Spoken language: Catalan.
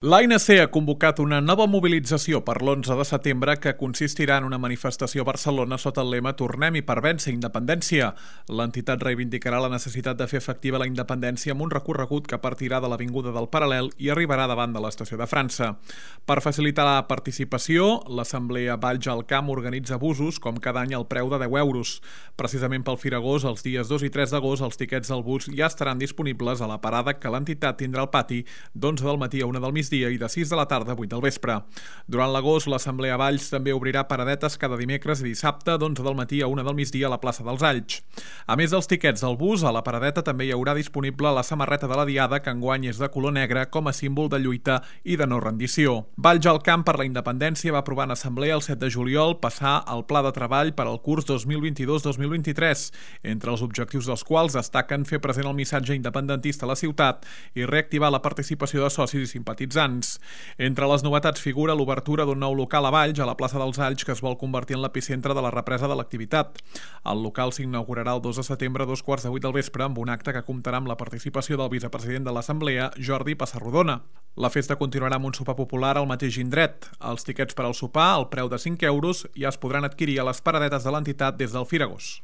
L'ANC ha convocat una nova mobilització per l'11 de setembre que consistirà en una manifestació a Barcelona sota el lema «Tornem i per vèncer independència». L'entitat reivindicarà la necessitat de fer efectiva la independència amb un recorregut que partirà de l'Avinguda del Paral·lel i arribarà davant de l'Estació de França. Per facilitar la participació, l'Assemblea Valls al Camp organitza busos, com cada any al preu de 10 euros. Precisament pel Firagós, els dies 2 i 3 d'agost, els tiquets del bus ja estaran disponibles a la parada que l'entitat tindrà al pati d'11 del matí a 1 del migdia i de 6 de la tarda a 8 del vespre. Durant l'agost, l'Assemblea Valls també obrirà paradetes cada dimecres i dissabte d'11 del matí a 1 del migdia a la plaça dels Alls. A més dels tiquets del bus, a la paradeta també hi haurà disponible la samarreta de la Diada, que enguany és de color negre com a símbol de lluita i de no rendició. Valls al Camp per la Independència va aprovar en assemblea el 7 de juliol passar al pla de treball per al curs 2022-2023, entre els objectius dels quals destaquen fer present el missatge independentista a la ciutat i reactivar la participació de socis i simpatitzants. Entre les novetats figura l'obertura d'un nou local a Valls, a la plaça dels Alls, que es vol convertir en l'epicentre de la represa de l'activitat. El local s'inaugurarà el 2 de setembre a 2:15 del vespre amb un acte que comptarà amb la participació del vicepresident de l'Assemblea, Jordi Passarrodona. La festa continuarà amb un sopar popular al mateix indret. Els tiquets per al sopar, al preu de 5 euros, ja es podran adquirir a les paradetes de l'entitat des del Firagós.